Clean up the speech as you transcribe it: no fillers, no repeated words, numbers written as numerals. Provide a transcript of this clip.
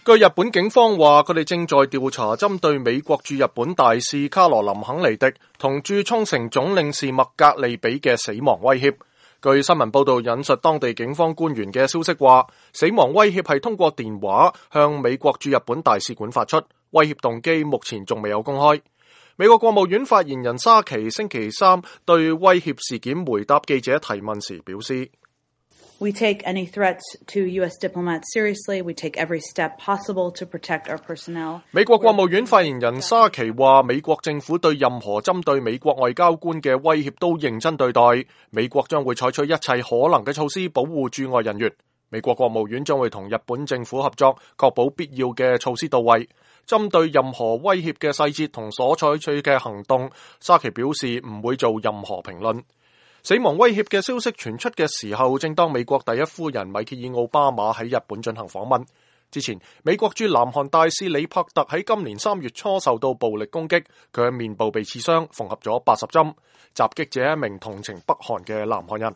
據日本警方話，佢哋正在調查針對美國駐日本大使卡羅琳肯尼迪同駐沖繩總領事麥格利比嘅死亡威脅。據新聞報道引述當地警方官員嘅消息話，死亡威脅係通過電話向美國駐日本大使館發出，威脅動機目前仲未有公開。美國國務院發言人沙奇星期三對威脅事件回答記者提問時表示：We take any threats to U.S. diplomats seriously. We take every step possible to protect our personnel. 美國國務院發言人沙奇話，美國政府對任何針對美國外交官嘅威脅都認真對待，美國將會採取一切可能嘅措施保護駐外人員。美國國務院將會同日本政府合作，確保必要嘅措施到位。針對任何威脅嘅細節同所採取嘅行動，沙奇表示唔會做任何評論。死亡威脅嘅消息傳出嘅時候，正當美國第一夫人米歇爾奧巴馬喺日本進行訪問。之前，美國駐南韓大使李柏特喺今年3月初受到暴力攻擊，佢嘅面部被刺傷，縫合咗80針。襲擊者一名同情北韓嘅南韓人。